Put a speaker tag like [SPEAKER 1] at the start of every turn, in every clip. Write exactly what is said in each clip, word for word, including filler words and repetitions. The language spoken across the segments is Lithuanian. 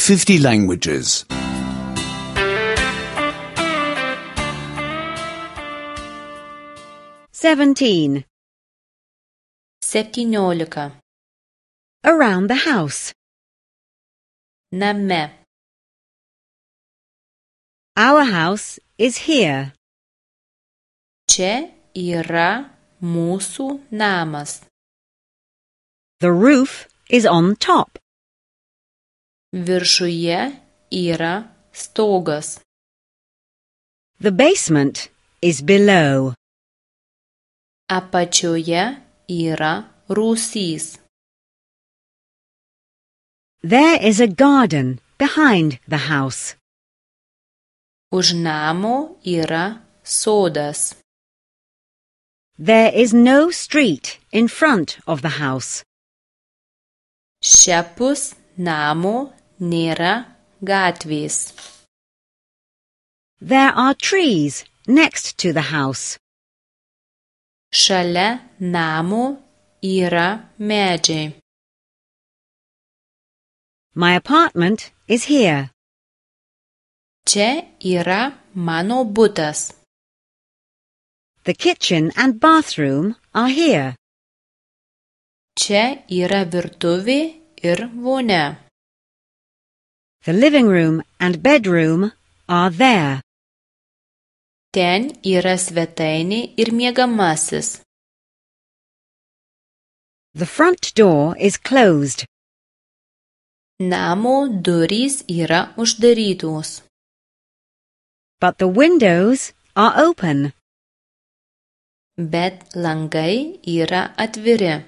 [SPEAKER 1] fifty languages.
[SPEAKER 2] Seventeen.
[SPEAKER 3] Septyniolika.
[SPEAKER 2] Around the house.
[SPEAKER 3] Name.
[SPEAKER 2] Our house is here.
[SPEAKER 3] Čia yra mūsų namas.
[SPEAKER 2] The roof is on top.
[SPEAKER 3] Viršuje yra stogas.
[SPEAKER 2] The basement is below.
[SPEAKER 3] Apačioje yra rūsys.
[SPEAKER 2] There is a garden behind the house.
[SPEAKER 3] Už namo yra sodas.
[SPEAKER 2] There is no street in front of the house.
[SPEAKER 3] Šiapus namo nėra gatvės.
[SPEAKER 2] There are trees next to the house.
[SPEAKER 3] Šalia namo yra medžiai.
[SPEAKER 2] My apartment is here.
[SPEAKER 3] Čia yra mano butas.
[SPEAKER 2] The kitchen and bathroom are here.
[SPEAKER 3] Čia yra virtuvė ir vonia.
[SPEAKER 2] The living room and bedroom are there.
[SPEAKER 3] Ten yra svetainė ir miegamasis.
[SPEAKER 2] The front door is closed.
[SPEAKER 3] Namo durys yra uždarytos.
[SPEAKER 2] But the windows are open.
[SPEAKER 3] Bet langai yra atviri.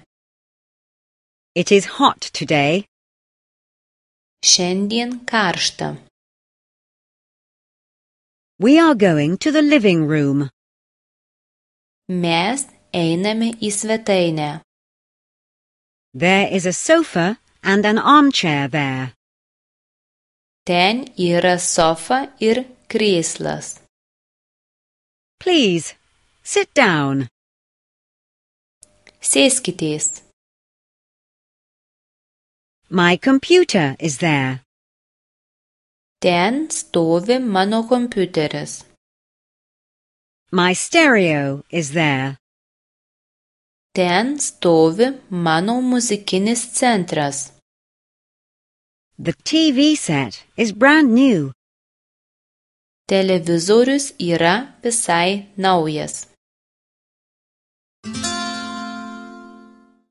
[SPEAKER 2] It is hot today.
[SPEAKER 3] Šiandien karšta.
[SPEAKER 2] We are going to the living room.
[SPEAKER 3] Mes einame į svetainę.
[SPEAKER 2] There is a sofa and an armchair there.
[SPEAKER 3] Ten yra sofa ir krėslas.
[SPEAKER 2] Please, sit down.
[SPEAKER 3] Sėskitės.
[SPEAKER 2] My computer is there.
[SPEAKER 3] Ten stovi mano kompiuteris.
[SPEAKER 2] My stereo is there.
[SPEAKER 3] Ten stovi mano muzikinis centras.
[SPEAKER 2] The T V set is brand new.
[SPEAKER 3] Televizorius yra visai naujas.